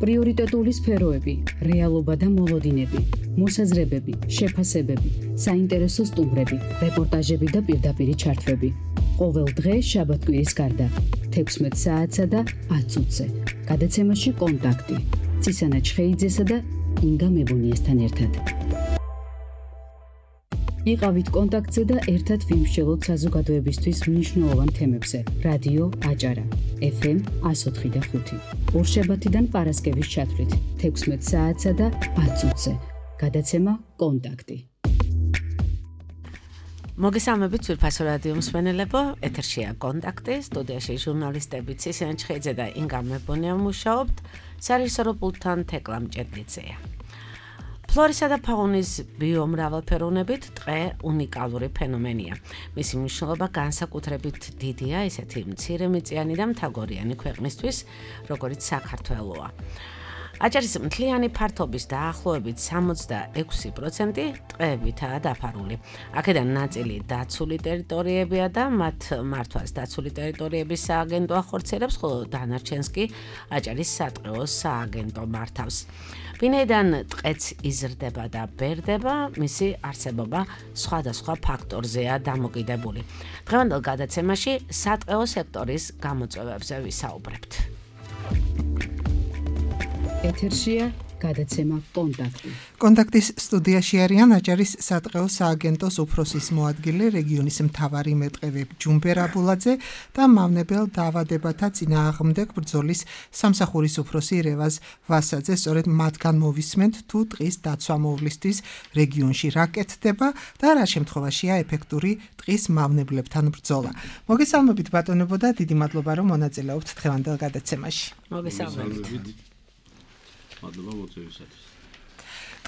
პრიორიტეტული სფეროები, რეალობა და მოლოდინები, მოსაზრებები, შეფასებები, საინტერესო სტუმრები, რეპორტაჟები და პირდაპირი ჩართვები. ყოველ დღე შაბათ-კვირის გარდა 16 საათსა და 10 წუთზე. გადაცემაში კონტაქტი. წისანა ჩხეიძესა და ინგა მებუნიესთან ერთად. იყავით კონტაქტზე და ერთად ვიმსჯელოთ საზოგადოებისთვის მნიშვნელოვან თემებზე. რადიო აჭარა, FM 104.5. ორშაბათიდან პარასკევის ჩათვლით 16 საათსა და 10 წუთზე. გადაცემა კონტაქტი. მოგესალმებით ძვირფასო რადიო მსმენელებო, ეთერშია კონტაქტი, სტუდიაში ჟურნალისტები წისანა ჩხეიძე და ინგა მებუნია მუშაობთ, სარეჟისორო პულტთან თეკლა მჭედლიძეა. ფლორისა და ფაუნის ბიომრავალფეროვნებით დღე უნიკალური ფენომენია. მისი მნიშვნელობა განსაკუთრებით დიდია ისეთი მცირემიწიანი და მთაგორიანი ქვეყნისთვის, როგორიც საქართველოა. აჭარის მთლიანი ფართობის დაახლოებით 66% ტყეებითაა დაფარული. აქედან ნაწილი დაცული ტერიტორიებია და მათ მართვას დაცული ტერიტორიების სააგენტო ახორციელებს, ხოლო დანარჩენს კი აჭარის სატყეო სააგენტო მართავს. ვინაიდან ტყეც იზრდება და ბერდება, მისი არსებობა სხვადასხვა ფაქტორზეა დამოკიდებული. დღევანდელ გადაცემაში სატყეო სექტორის გამოწვევებზე ვისაუბრებთ. ეთერშია გადაცემა კონტაქტი. კონტაქტის სტუდიაში არიან აჭარის სატყეო სააგენტოს უფროსის მოადგილე, რეგიონის მთავარი მეტყევე ჯუმბერ აბულაძე და მავნებელ დაავადებათა წინააღმდეგ ბრძოლის სამსახურის უფროსი რევაზ ვასაძე. სწორედ მათგან მოვისმენთ თუ ტყის დაცვა მოვლისთვის რეგიონში რა კეთდება და რა შემთხვევაშია ეფექტური ტყის მავნებლებთან ბრძოლა. მოგესალმებით ბატონებო და დიდი მადლობა რომ მონაწილეობთ დღევანდელ გადაცემაში. მოგესალმებით. მადლობა მოწვევისათვის.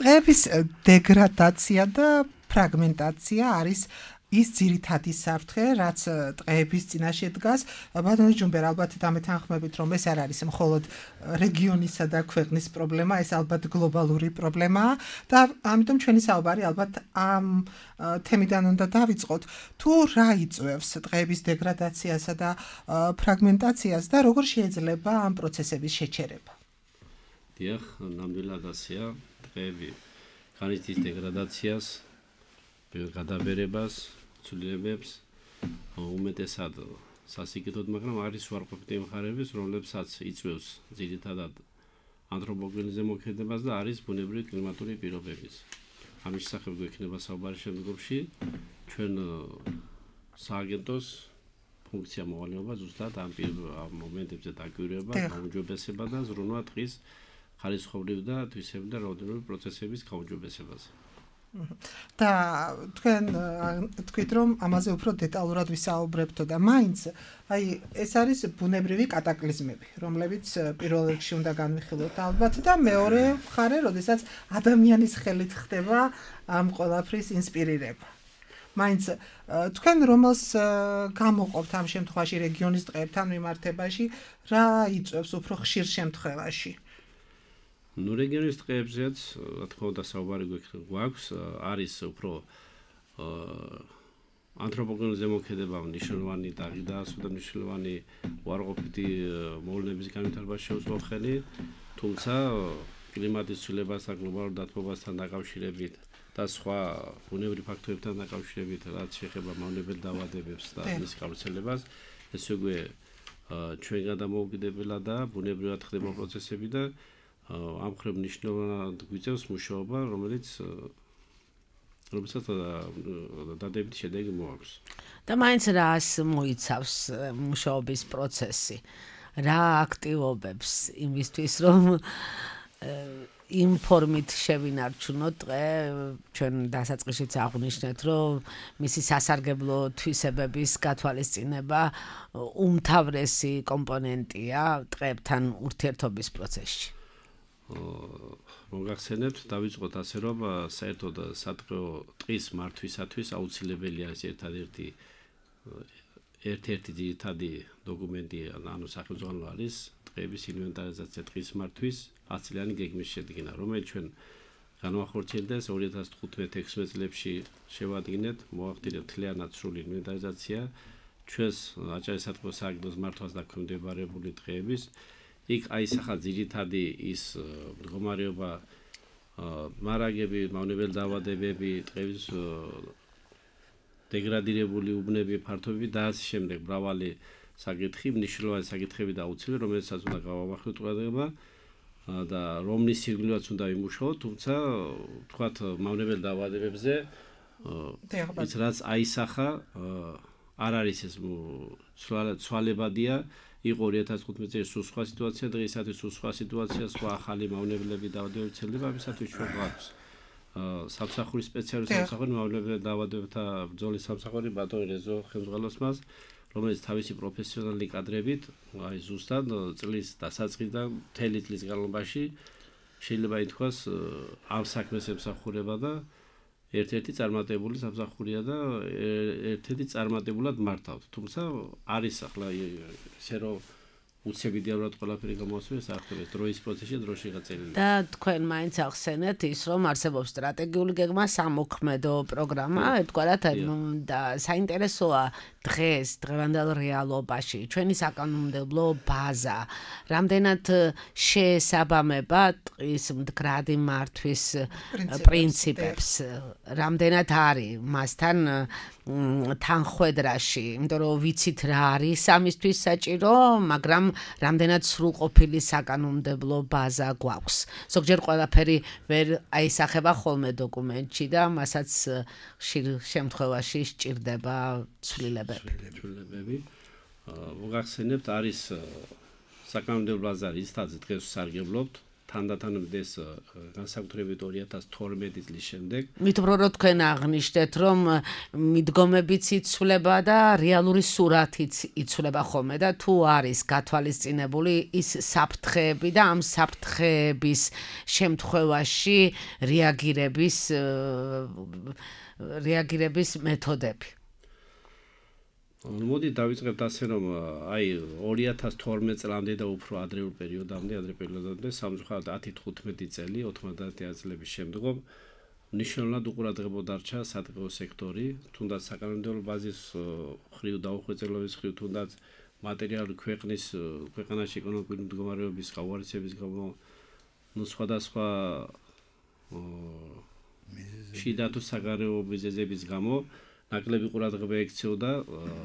ტყეების დეგრადაცია და ფრაგმენტაცია არის ის ძირითადი საფრთხე, რაც ტყეების წინაშე დგას. ბატონო ჯუმბერ, ალბათ დამეთანხმებით, რომ ეს არ არის მხოლოდ რეგიონისა და ქვეყნის პრობლემა, ეს ალბათ გლობალური პრობლემაა და ამიტომ ჩვენი საუბარი ალბათ ამ თემიდან უნდა დავიწყოთ. თუ რა იწვევს ტყეების დეგრადაციასა და ფრაგმენტაციას და როგორ შეიძლება ამ პროცესების შეჩერება? დიახ, ნამდვილად ასეა, ტყეები განიცდის დეგრადაციას, გადაბერებას, ცვლილებებს, უმეტესად სასიკეთოდ, მაგრამ არის უარყოფითი მხარეებიც, რომლებსაც იწვევს ძირითადად ანთროპოგენიზმის ზემოქმედებას და არის ბუნებრივი კლიმატური პირობებიც. ამის შესახებ გვექნება საუბარი შემდგომში. ჩვენ სააგენტოს ფუნქცია მოვალეობა ზუსტად ამ მომენტებზე დაკვირვება, გაუმჯობესება და ზრუნვა ტყის ხალისხოვრივ და თვისებრივ და რაოდენობით პროცესების გაუმჯობესებაზე. და თქვენ თქვით რომ ამაზე უფრო დეტალურად ვისაუბრებთო და მაინც ეს არის ბუნებრივი კატაკლიზმები, რომლებიც პირველ რიგში უნდა განვიხილოთ ალბათ და მეორე მხარე, როდესაც ადამიანის ხელით ხდება ამ ყველაფრის ინსპირირება. მაინც თქვენ რომელს გამოყოფთ ამ შემთხვევაში რეგიონის ტყეებთან მიმართებაში, რა იწვევს უფრო ხშირ შემთხვევაში? რეგიონის ტყეებზეც, რა თქმა უნდა, საუბარი გვაქვს, არის უფრო ანთროპოგენიზმის ზემოქმედება მნიშვნელოვანი დაღიდაასო და მნიშვნელოვანი უარყოფითი მოვლენების განვითარებას შეუძლო ხელი, თუმცა კლიმატის ცვლილებასთან, გლობალურ დათბობასთან დაკავშირებით და სხვა ბუნებრივი ფაქტორებთან დაკავშირებით, რაც შეეხება მავნებელ დაავადებებს და მის გავრცელებას, ეს უკვე ჩვენ გადამოუკიდებელად და ბუნებრივად ხდება პროცესები და ამ ხრივ მნიშვნელოვნად გვიწევს მუშაობა, რომელსაც დადებითი შედეგი მოაქვს. და მაინც რას მოიცავს მუშაობის პროცესი? რა აქტივობებს იმისთვის, რომ იმ ფორმით შევინარჩუნოთ ტყე, ჩვენ დასაწყისშიც აღვნიშნეთ, რომ მისი სასარგებლო თვისებების გათვალისწინება უმთავრესი კომპონენტია ტყეებთან ურთიერთობის პროცესში. მოგახსენებთ, დავიწყოთ ასე, რომ საერთოდ სატყეო ტყის მართვისათვის აუცილებელია ეს ერთ-ერთი ძირითადი დოკუმენტი, ანუ სახელმწიფო არის ტყეების ინვენტარიზაცია, ტყის მართვის 10 წლიანი გეგმის შედგენა, რომელიც ჩვენ განვახორციელდეს 2015-16 წლებში შევადგინეთ, მოახდინეთ მთლიანად სრული ინვენტარიზაცია ჩვენს აჭარის სატყეო სააგენტოს მართვას დაქვემდებარებული ტყეების იქ აისახა ძირითადი ის მდგომარეობა მარაგები, მავნებელი დაავადებები, ტყეების დეგრადირებული უბნები, ფართობები და ასე შემდეგ მრავალი საკითხი, მნიშვნელოვანი საკითხები და აუცილებელი, რომელსაც უნდა გავამახვილოთ ყურადღება და რომლის სირგვლივაც უნდა ვიმუშაოთ, თუმცა თქვათ მავნებელ დაავადებებზე ის რაც აისახა არ არის ეს ცვალებადია, იყო 2015 წელს სულ სხვა სიტუაცია, დღეისათვის სულ სხვა სიტუაცია, სხვა ახალი მავნებლები დაავადებები ვრცელდება, ამისათვის ჩვენ გვაქვს სამსახურის სპეციალური სამსახური მავნებელ დაავადებებთა ბრძოლის სამსახური ბატონი რეზო ხელმძღვანელოს, რომელიც თავისი პროფესიონალი კადრებით, აი ზუსტად წლის დასაწყისიდან მთელი წლის განმავლობაში შეიძლება ითქვას ამ საქმეს ემსახურება და ერთ-ერთი წარმატებული სამსახურია და ერთ-ერთი წარმატებულად მართავთ. თუმცა არის ახლა ისე რომ უცებიდიანად ყველაფერი გამოასწორეს ახლა დროის პროცესში დროში გაწელილი. და თქვენ მაინც ახსენეთ ის რომ არსებობს სტრატეგიული გეგმა, სამოქმედო პროგრამა, ერთგვარად და საინტერესოა დღეს დღევანდელ რეალობაში ჩვენი საკანონმდებლო ბაზა რამდენად შეესაბამება ტყის მდგრადი მართვის პრინციპებს, რამდენად არის მასთან თანხვედრაში, იმიტომ რომ ვიცით რა არის ამისთვის საჭირო, მაგრამ რამდენად სრულყოფილი საკანონმდებლო ბაზა გვაქვს. ზოგჯერ ყველაფერი ვერ აისახება ხოლმე დოკუმენტში და მასაც ხშირ შემთხვევაში სჭირდება ცვლილებები. მოგახსენებთ, არის საკანონმდებლო ბაზა, რითაც დღეს ვსარგებლობთ, თანდათანობით განსაკუთრებით 2012 წლის შემდეგ. მით უფრო რომ თქვენ აღნიშნეთ, რომ მიდგომებიც იცვლება და რეალური სურათიც იცვლება ხოლმე და თუ არის გათვალისწინებული ის საფრთხეები და ამ საფრთხეების შემთხვევაში რეაგირების მეთოდები. მოდი დავიწყებთ ასე რომ აი 2012 წლამდე და უფრო ადრეულ პერიოდამდე სამწუხაროდ 10-15 წელი 90 წლების შემდგომ მნიშვნელოვნად უყურადღებოდ დარჩა სატყეო სექტორი, თუნდაც საკანონმდებლო ბაზის ხრივ დაუხვეწილობის ხრივ, თუნდაც მატერიალური ქვეყანაში ეკონომიკური მდგომარეობის გაუარესების გამო, სხვადასხვა შიდა თუ საგარეო მიზეზების გამო ნაკლები ყურადღება ექცეოდა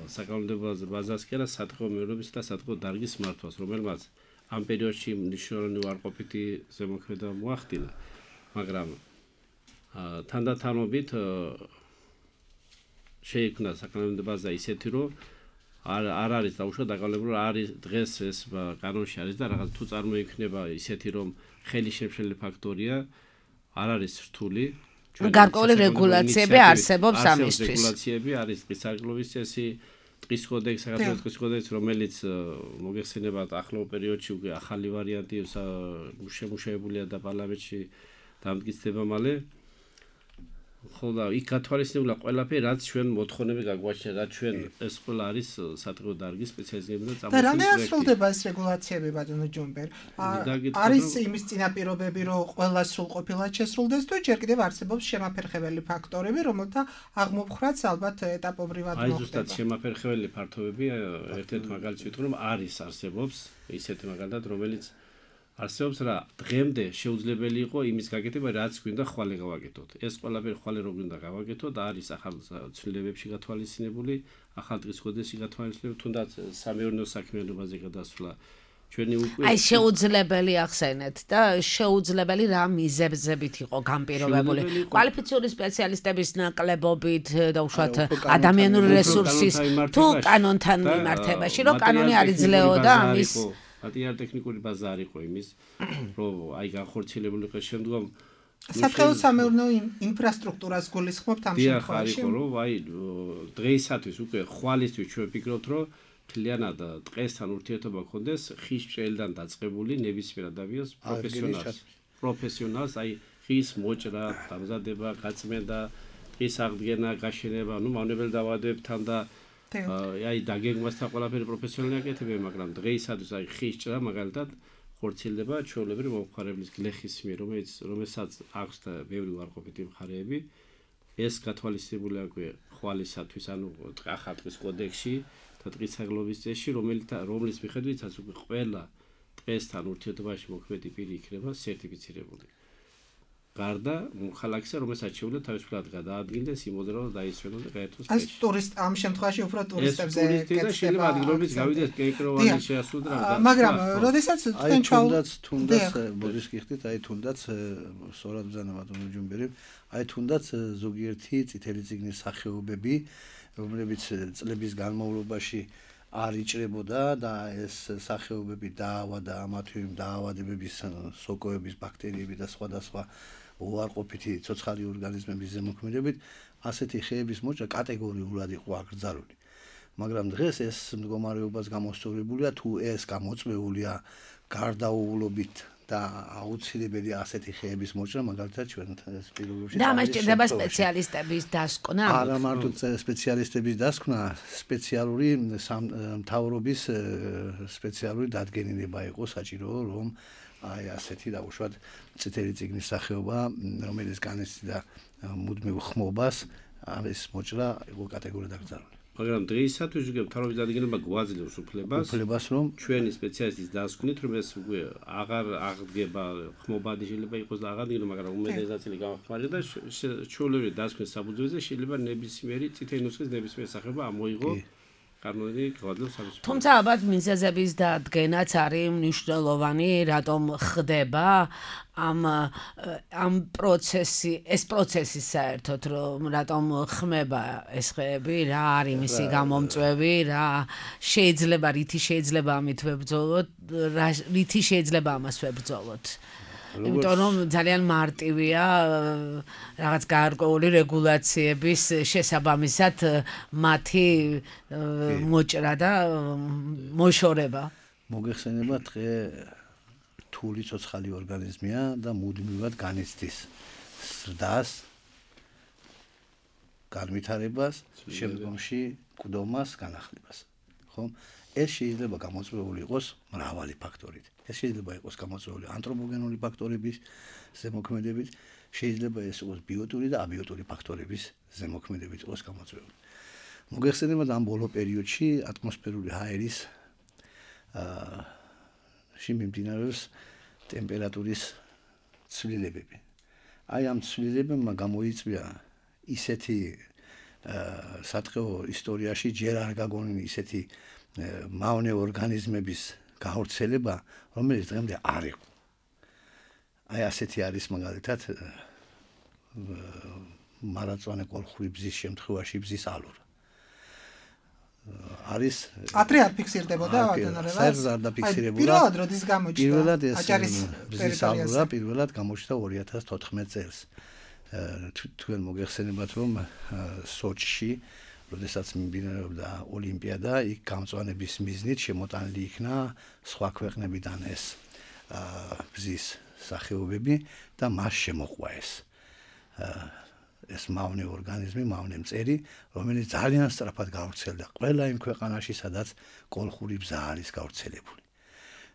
საკანონმდებლო ბაზას კი არა სატყეო მეურნეობის და სატყეო დარგის მართვას, რომელმაც ამ პერიოდში მნიშვნელოვანი უარყოფითი ზემოქმედება მოახდინა, მაგრამ თანდათანობით შეიქმნა საკანონმდებლო ბაზა ისეთი, რომ არ არის დაუშვათ დაკავებული, არის დღეს ეს კანონში არის და რაღაც თუ წარმოიქმნება ისეთი, რომ ხელი შემშლელი ფაქტორია, არ არის რთული. გარკვეული რეგულაციები არსებობს ამისთვის. რეგულაციები არის ტყის სარგებლობის წესი, ტყის კოდექსი, საქართველოს ტყის კოდექსი, რომელიც მოგეხსენებათ ახლო პერიოდში უკვე ახალი ვარიანტი შემუშავებულია და პარლამენტში დამტკიცდება მალე. ხო და იქ გათვალისწინებულა ყველაფერი, რაც ჩვენ მოთხოვნები გაგვაჩნია, რაც ჩვენ ეს ყველა არის სატყეო დარგის სპეციალიზმები და და რამდენად სრულდება ეს რეგულაციები ბატონო ჯუმბერ? არის იმის წინაპირობები, რომ ყველა სრულყოფილად შესრულდეს თუ ჯერ კიდევ არსებობს შემაფერხებელი ფაქტორები, რომელთა აღმოფხრაც ალბათ ეტაპობრივად მოხდება. აი ზუსტად შემაფერხებელი ფაქტორები, ერთ-ერთი მაგალითი ვიტყვი, რომ არსებობს ისეთი მაგალითად, რომელიც არსებობს რა დღემდე შეუძლებელი იყო იმის გაკეთება, რაც გვინდა ხვალე გავაკეთოთ. ეს ყველაფერი ხვალე რო გვინდა გავაკეთოთ, არის ახალ ცვლილებებში გათვალისწინებული, ახალ ტყის კოდექსში გათვალისწინებული, თუნდაც სამეურნეო საქმიანობაზე გადასვლა. ჩვენი უკვე აი შეუძლებელი ახსენეთ და შეუძლებელი რა მიზეზებით იყო განპირობებული. კვალიფიციური სპეციალისტების ნაკლებობით და უშუალოდ ადამიანური რესურსის თუ კანონთან მიმართებაში, რომ კანონი არ იძლეოდა ამის ტექნიკური ბაზა არ იყო იმის, რომ აი განხორციელებული იყო შემდგომ სატყეო სამეურნეო ინფრასტრუქტურას გულისხმობთ ამ შემთხვევაში. ხო, რომ აი დღეისათვის უკვე ხვალისთვის ჩვენ ვფიქრობთ, რომ მთლიანად ტყესთან ურთიერთობა გქონდეს ხის ჭრელიდან დაწყებული ნებისმიერ ადამიანს პროფესიონალს, აი ხის მოჭრა, დამზადება, გაწმენდა, ტყის აღდგენა, გაშენება, მავნებელ დაავადებებთან და აი დაგეგმასთან ყველაფერი პროფესიონალი აკეთებენ, მაგრამ დღეისათვის აი ხის ჭრა მაგალითად ხორციელდება ჩვეულებრივი მომხმარებლის გლეხის მიერ, რომელსაც აქვს და ბევრი უარყოფითი მხარეები. ეს გათვალისწინებულია უკვე ხვალისათვის, ანუ ახალ ტყის კოდექსში და ტყის საგლობის წესში, რომლის მიხედვითაც უკვე ყველა ტყესთან ურთიერთობაში მოქმედი პირი იქნება სერტიფიცირებული. გარდა ხალხისა, რომელსაც შეუძლია თავისუფლად გადაადგილდეს, იმოდროულად დაისვენოს და გაერთოს ეს ტურისტ ამ შემთხვევაში უფრო ტურისტებზე კეთდება. შეიძლება ადგილობრივ გავიდეს კენკროვანი შეასრულდა რა. მაგრამ როდესაც თქვენ თუნდაც ბოდიშ გიხდით, აი თუნდაც სწორად ბრძანა ბატონო ჯუმბერი, აი თუნდაც ზოგიერთი წითელი წიგნის სახეობები, რომლებიც წლების განმავლობაში არ იჭრებოდა და ეს სახეობები დაავადა ამათი დაავადებების სოკოების ბაქტერიები და სხვადასხვა უარყოფითი ცოცხალი ორგანიზმების ზემოქმედებით ასეთი ხეების მოჭრა კატეგორიულად იყო აკრძალული. მაგრამ დღეს ეს მდგომარეობას გამოსწორებულია თუ ეს გამოწვეულია გარდაუვლობით და აუცილებელი ასეთი ხეების მოჭრა მაგალითად ჩვენ ეს პირობებში და მას ჭირდება სპეციალისტების დასკვნა. არა მარტო სპეციალისტების დასკვნა, სპეციალური მთავრობის სპეციალური დადგენილება იყო საჭირო, რომ აი ასეთი დაუშვათ წითელი წიგნის სახეობა, რომელიც განიცდიდა მუდმივ ხმობას, ეს მოჭრა იყო კატეგორიად აკრძალული. მაგრამ დღეისათვის უკვე მთავრობის დადგენილება გვაძლევს უფლებას რომ ჩვენი სპეციალისტის დასკვნით, რომ ეს უკვე აღარ აღდგება ხმობადი შეიძლება იყოს და აღარ დგება, მაგრამ უმეტეს ნაწილი გამახმარება და ჩვეულებრივი დასკვნის საფუძველზე შეიძლება ნებისმიერი წითელი ნუსხის ნებისმიერი სახეობა ამოიღო კანონი გვაძლევს ამის. თუმცა ალბათ მიზეზების დადგენაც არის მნიშვნელოვანი, რატომ ხდება ამ პროცესი საერთოდ რომ რატომ ხმება ეს ხეები, რა არის მისი გამომწვევი, რა შეიძლება რითი შეიძლება ამით ვებრძოლოთ, რითი შეიძლება ამას ვებრძოლოთ. იმიტომ რომ ძალიან მარტივია რაღაც გარკვეული რეგულაციების შესაბამისად მათი მოჭრა და მოშორება. მოგეხსენება დღე რთული ცოცხალი ორგანიზმია და მუდმივად განიცდის ზრდას, განვითარებას, შემდგომში კვდომას, განახლებას. ხომ? ეს შეიძლება გამოწვეული იყოს მრავალი ფაქტორით. ეს შეიძლება იყოს გამოწვეული ანთროპოგენური ფაქტორების ზემოქმედებით, შეიძლება ეს იყოს ბიოტური და აბიოტური ფაქტორების ზემოქმედებით იყოს გამოწვეული. მოგეხსენებათ ამ ბოლო პერიოდში ატმოსფერული ჰაერის მიმდინარეობს ტემპერატურის ცვლილებები. აი ამ ცვლილებებმა გამოიწვია ისეთი საწყო ისტორიაში ჯერ არ გაგონილი ისეთი მავნე ორგანიზმების გავრცელება, რომელიც დღემდე არ იყო. აი ასეთი არის მაგალითად მარაწვანე კოლხური ბზის შემთხვევაში ბზის ალურა. არის ადრე არ ფიქსირდებოდა ბატონორებას. საერთოდ არ დაფიქსირებულა. პირველად როდის გამოჩნდა? პირველად ეს ბზის ალურა პირველად გამოჩნდა 2014 წელს. თქვენ მოგეხსენებათ რომ სოჩში როდესაც მიმდინარეობდა ოლიმპიადა, იქ გამწვანების მიზნით შემოტანილი იქნა სხვა ქვეყნებიდან ეს ბზის სახეობები და მას შემოყვა ეს მავნე ორგანიზმი, მავნე მწერი, რომელიც ძალიან სწრაფად გავრცელდა ყველა იმ ქვეყანაში, სადაც კოლხური ბზა არის გავრცელებული.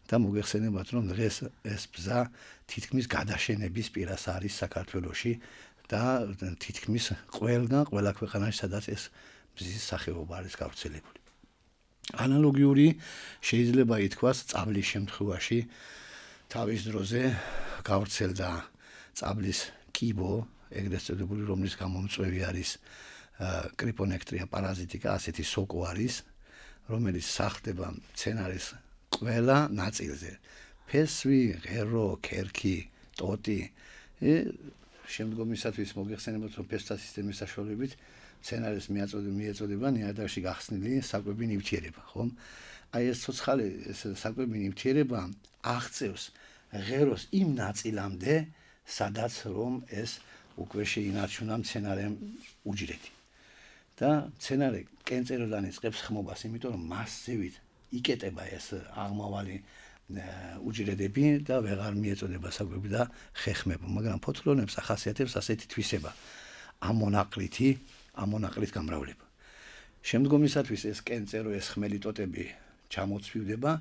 და მოგეხსენებათ რომ დღეს ეს ბზა თითქმის გადაშენების პირას არის საქართველოში და თითქმის ყველა ქვეყანაში, სადაც ეს ბზის სახეობა არის გავრცელებული. ანალოგიური შეიძლება ითქვას წაბლის შემთხვევაში თავის დროზე გავრცელდა წაბლის კიბო, ეგრეთ წოდებული, რომლის გამომწვევი არის კრიპონექტრია პარაზიტიკა, ასეთი სოკო არის, რომელიც სახლდება მცენარის ყველა ნაწილზე. ფესვი, ღერო, ქერქი, ტოტი. შემდგომისათვის მოგეხსენებათ რომ ფესთა სისტემის საშუალებით მცენარეს მიეწოდება ნიადაგში გახსნილი საკვები ნივთიერება, ხომ? აი ეს ცოცხალი საკვები ნივთიერება აღწევს ღეროს იმ ნაწილამდე, სადაც რომ ეს უკვე შეინარჩუნა მცენარემ უჯრედი. და მცენარე კენწეროდან იწყებს ხმობას, იმიტომ რომ მასივით იკეტება ეს აღმავალი უჯრედები და ვეღარ მიეწოდება საკვები და ხეხმება, მაგრამ ფოთლონებს ახასიათებს ასეთი თვისება. ამონაკლით გამრავლება. შემდგომისათვის ეს კენწერო, ეს ხმელი ტოტები ჩამოცვივდება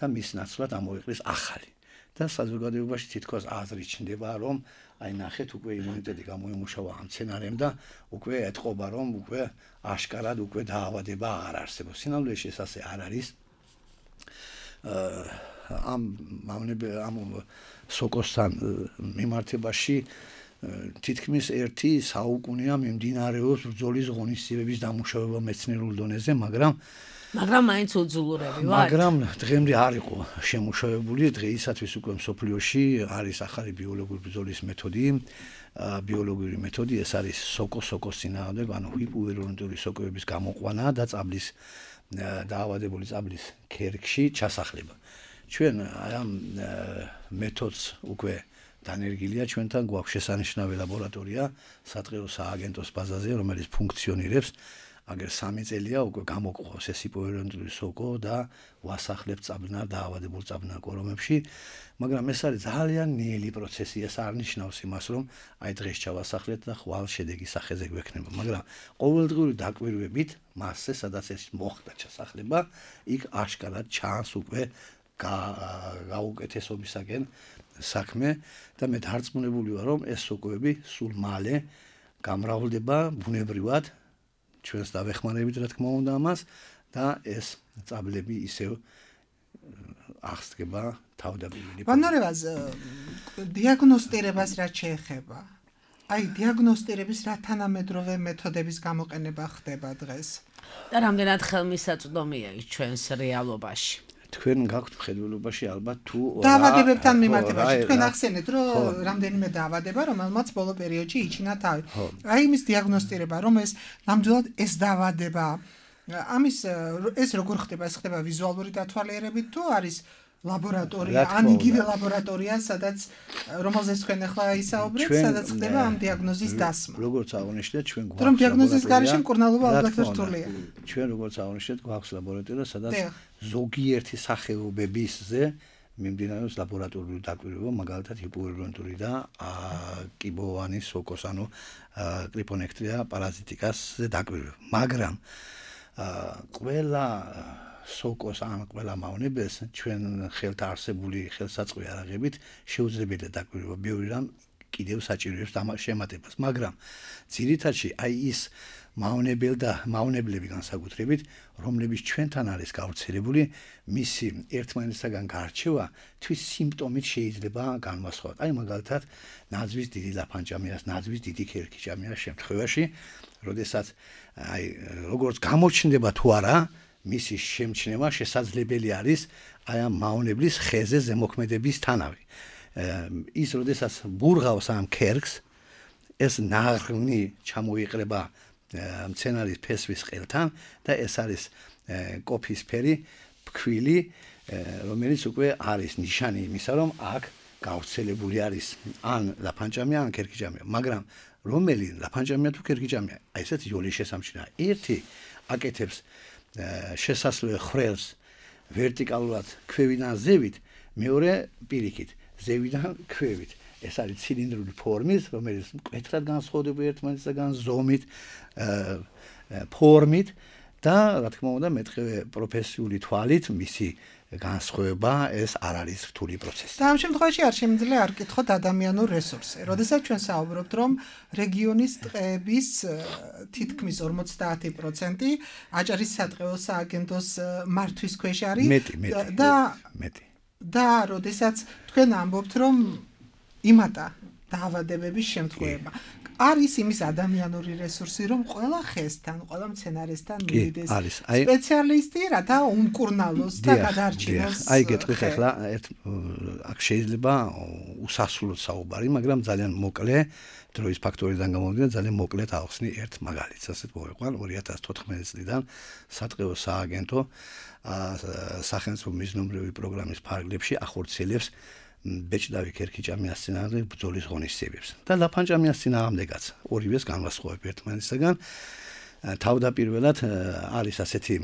და მის ნაცვლად ამოიყრის ახალი. და საზოგადოებაში თითქოს აზრი ჩნდება, რომ აი ნახეთ უკვე იმუნიტეტი გამოიმუშავა ამ მცენარემ და უკვე ეთყობა, რომ უკვე აშკარად უკვე დაავადება აღარ არსებობს. სინამდვილეში ეს ასე არ არის. ამ სოკოსთან მიმართებაში თითქმის ერთი საუკუნეა მიმდინარეობს ბრძოლის ღონისძიებების დამუშავება მეცნიერულ დონეზე, მაგრამ მაინც უძულურები ვართ. მაგრამ დღემდე არ იყო შემუშავებული, დღეისათვის უკვე მსოფლიოში არის ახალი ბიოლოგიური ბრძოლის მეთოდი, ეს არის სოკოს წინააღმდეგ, ანუ ჰიპოვირულენტური სოკოების გამოყვანა და წაბლის დაავადებული წაბლის ქერქში ჩასახლება. ჩვენ აი ამ მეთოდს უკვე დანერგილია, ჩვენთან გვაქვს შესანიშნავი ლაბორატორია სადღეო სააგენტოს ბაზაზე, რომელიც ფუნქციონირებს. აგერ 3 წელია უკვე გამოყვავს ეს ჰიპოვირულენტური სოკო და ვასახლებთ წაბლნარ დაავადებულ წაბლნარ კორომებში, მაგრამ ეს არის ძალიან ნელი პროცესი, ეს არ ნიშნავს იმას, რომ აი დღეს ჩავასახლეთ და ხვალ შედეგი სახეზე გვექნება, მაგრამ ყოველდღიური დაკვირვებით მასზე, სადაც ეს მოხდა ჩასახლება, იქ აშკარად ჩანს უკვე გაუკეთესობისაკენ საქმე და მე დარწმუნებული ვარ, რომ ეს სოკოები სულ მალე გამრავლდება ბუნებრივად ჩვენს დავეხმარებით, რა თქმა უნდა ამას და ეს წაბლები ისევ აღსდგება თავდაპირველი. ვანორევას დიაგნოსტირებას რაც შეეხება. აი დიაგნოსტირების რა თანამედროვე მეთოდების გამოყენება ხდება დღეს? და რამდენად ხელმისაწვდომია ის ჩვენს რეალობაში? თქვენ გაქვთ მხედველობაში ალბათ თუ დაავადებებთან მიმართებაში თქვენ ახსენეთ, რომ რამდენიმე დაავადება, რომელმაც ბოლო პერიოდში იჩინა თავი. აი იმის დიაგნოსტირება, რომ ეს ნამდვილად ეს დაავადება, ამის ეს როგორ ხდება? ეს ხდება ვიზუალური დათვალიერებით თუ არის ლაბორატორია, ან იგივე ლაბორატორია, სადაც რომელზეც თქვენ ახლა ისაუბრეთ, სადაც ხდება ამ დიაგნოზის დასმა. როგორც აღნიშნეთ, ჩვენ გვაქვს რომ დიაგნოზის გარეშე მკურნალობა ალბათ რთულია. ჩვენ როგორც აღნიშნეთ, გვაქვს ლაბორატორია, სადაც ზოგიერთი სახეობებისზე მიმდინარეობს ლაბორატორიული დაკვირვება, მაგალითად ჰიპოვირულენტური და კიბოვანი სოკოს, ანუ კრიპონექტრია პარაზიტიკასზე დაკვირვება. მაგრამ ყველა სოკოს ან ყველა მავნებელს ჩვენ ხელთ არსებული ხელსაწყო არაღებით შეუძლებელია დაკვირვება, ბევრი რამ კიდევ საჭიროებს შემატებას, მაგრამ ძირითადში აი ის მავნებლები განსაკუთრებით, რომლებიც ჩვენთან არის გავრცელებული, მისი ერთმანეთისაგან გარჩევა თვის სიმპტომით შეიძლება განვასხვაოთ. აი მაგალითად, ნაძვის დიდი ლაფანჭამიას, ნაძვის დიდი ქერქიჭამიას შემთხვევაში, როდესაც აი როგორც გამოჩნდება თუ არა, მისი შემჩნევა შესაძლებელი არის აი ამ მავნებლის ხეზე ზემოქმედებისთანავე. ის როდესაც ბურღავს ამ ქერქს, ეს ნაღრმი ჩამოიყრება მცენარის ფესვის ყელთან და ეს არის კოფისფერი ფქვილი, რომელიც უკვე არის ნიშანი იმისა, რომ აქ გავრცელებული არის ან ლაფანჭამია, ან ქერქიჭამია, მაგრამ რომელი ლაფანჭამია თუ ქერქიჭამია, აი ესეთ იოლის შესამჩნევა. ერთი აკეთებს შესასვლელ ხრელს ვერტიკალურად ქვევიდან ზევით, მეორე პირიქით ზევიდან ქვევით. ეს არის ცილინდრული ფორმის, რომელიც მკვეთრად განსხვავდება ერთმანეთისაგან ზომით, ფორმით და რა თქმა უნდა მეტყევე პროფესიული თვალით მისი განსხვავება ეს არ არის რთული პროცესი. და ამ შემთხვევაში არ შემიძლია არ კითხოთ ადამიანურ რესურსზე. როდესაც ჩვენ საუბრობთ, რომ რეგიონის ტყეების თითქმის 50% აჭარის სატყეო სააგენტოს მართვის ქვეშ არის და როდესაც თქვენ ამბობთ, რომ იმატა დაავადებების შემთხვევება. არის იმის ადამიანური რესურსი, რომ ყველა ხესთან, ყველა მცენარესთან მივიდეს სპეციალისტი, რათა უმკურნალოს და გადარჩინოს. აი გეტყვით ახლა აქ შეიძლება უსასრულოდ საუბარი, მაგრამ ძალიან მოკლე დროის ფაქტორიდან გამომდინარე ძალიან მოკლედ ავხსნი ერთ მაგალითს. ასეთ მოვიყვან 2014 წლიდან სატყეო სააგენტო სახელმწიფო მიზნობრივი პროგრამის ფარგლებში ახორციელებს ბეჭდავი ქერქიჭამიას წინააღმდეგ ბრძოლის ღონისძიებებს და ლაფანჭამიას წინააღმდეგაც ორივეს განვასხვავებ ერთმანეთისაგან. თავდაპირველად არის ასეთი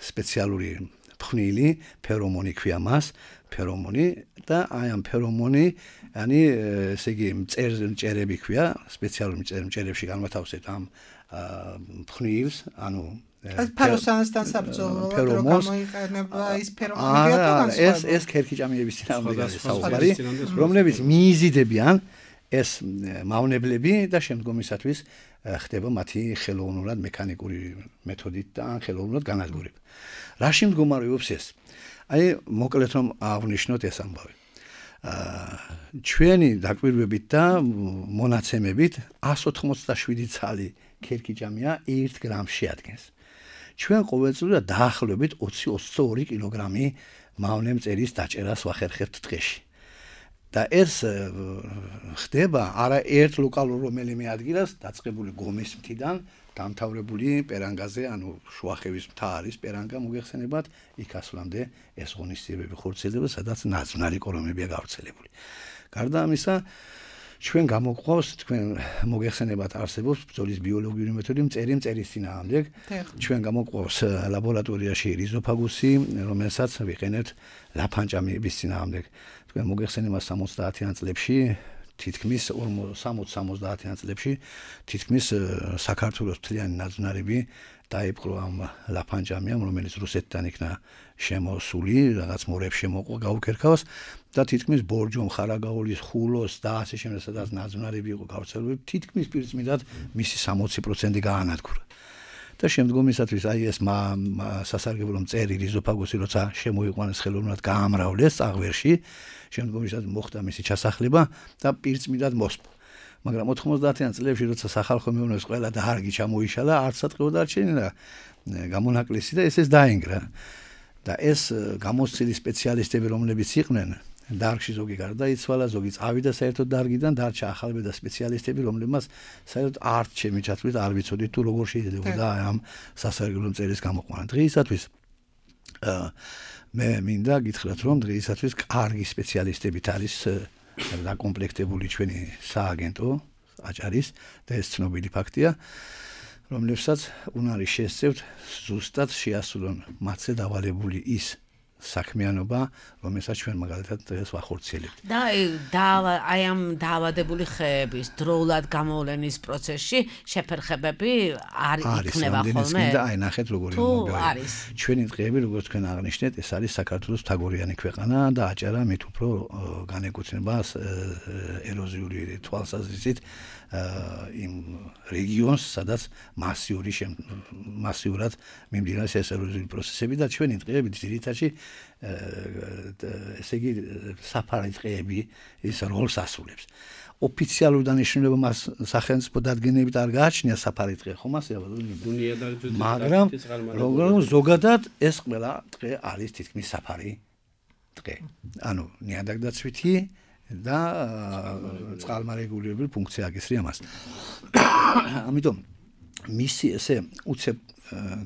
სპეციალური ფხვნილი, ფერომონი ქვია მას, ფერომონი და აი ამ ფერომონი, yani ესე იგი მწერები ქვია, სპეციალური მწერებში განვათავსებთ ამ ფხვნილს, ანუ ფეროსანსთან საბრძოლოდ რო გამოიყენება ის ფერომონი. ეს ქერქიჭამიების წინააღმდეგ არის საუბარი, რომლებიც მიიზიდებიან ეს მავნებლები და შემდგომისათვის ხდება მათი ხელოვნურად მექანიკური მეთოდით და ან ხელოვნურად განადგურება. რა შემდგომარეობს ეს? აი მოკლედ რომ აღვნიშნოთ ეს ამბავი. ჩვენი დაკვირვებით და მონაცემებით 187 ცალი ქერქიჭამია 1 გრამს შეადგენს. ჩვენ ყოველწლიურად დაახლოებით 20-22 კილოგრამი მავნე მწერის დაჭერას ვახერხებთ დღეში. და ეს ხდება არა ერთ ლოკალურ რომელიმე ადგილას დაწყებული გომის მთიდან დამთავრებული პერანგაზე, ანუ შუახევის მთა არის პერანგა მოგეხსენებათ, იქ ასვლამდე ეს ღონისძიებები ხორციელდება, სადაც ნაცნობი კორომებია გავრცელებული. გარდა ამისა, ჩვენ გამოგვყავს თქვენ მოგეხსენებათ არსებობს ბრძოლის ბიოლოგიური მეთოდი მწერის წინააღმდეგ. ჩვენ გამოგვყავს ლაბორატორიაში რიზოფაგუსი, რომელსაც ვიყენებთ ლაფანჭამების წინააღმდეგ. თქვენ მოგეხსენებათ 70-იან წლებში თითქმის 60-70-იან წლებში თითქმის საქართველოს მთლიანი ნაძვნარები დაიპყრო ამ ლაფანჭამიამ, რომელიც რუსეთთან იქნა შემოსული, რაღაც მორებში შემოყვა გაუქერქავს და თითქმის ბორჯომ, ხარაგაულის, ხულოს და ასე შემდეგ, სადაც ნაძვნარები იყო გავრცელებული, თითქმის პირწმიდად მისი 60% გაანადგურა. და შემდგომისათვის აი ეს სასარგებლო მწერი რიზოფაგუსი როცა შემოიყვანეს ხელოვნურად გაამრავლეს წაღვერში, შემდგომისათვის მოხდა მისი ჩასახლება და პირწმიდად მოსპო. მაგრამ 90-იან წლებში როცა სახალხო მეურნეობის ყველა დარგი ჩამოიშალა, არც სატყეო დარჩენილა გამონაკლისი და ეს დაინგრა. და ეს გამოცდილი სპეციალისტები რომლებიც იყვნენ, დარგში ზოგი გარდაიცვალა, ზოგი წავიდა საერთოდ დარგიდან, დარჩა ახალბედა სპეციალისტები, რომლებმაც საერთოდ არც ჩემი ჩათვლით არ ვიცოდით თუ როგორ შეიძლება ამ სასარგებლო მწერის გამოყვანა. დღეისათვის მე მინდა გითხრათ, რომ დღეისათვის კარგი სპეციალისტებით არის დაკომპლექტებული ჩვენი სააგენტო აჭარის და ეს ცნობილი ფაქტია, რომლებსაც უნარი შესწევთ ზუსტად შეასრულონ მათზე დავალებული ის საქმიანობა, რომელსაც ჩვენ მაგალითად დღეს ვახორციელებთ. და აი ამ დაავადებული ხეების დროულად გამოვლენის პროცესში შეფერხებები არ იქნება ხოლმე? და აი ნახეთ როგორი მომბევია. ჩვენი დღეები, როგორც თქვენ აღნიშნეთ, ეს არის საქართველოს მთაგორიანი ქვეყანა და აჭარა მით უფრო განეკუთვნება ეროზიული თვალსაზრისით იმ რეგიონს, სადაც მასიურად მიმდინარეობს ეს ეროზიული პროცესები და ჩვენი დღეები ძირითადში ესე იგი საფარი დღეები ის როლს ასრულებს. ოფიციალური დანიშნულება მას სახელმწიფო დადგენებით არ გააჩნია საფარი დღე, ხომ ასე მაგრამ რომ ზოგადად ეს ყველა დღე არის თითქმის საფარი დღე. ანუ ნიადაგდაცვითი და წყალმარეგულირებული ფუნქცია აკისრია მას. ამიტომ მისი ესე უცებ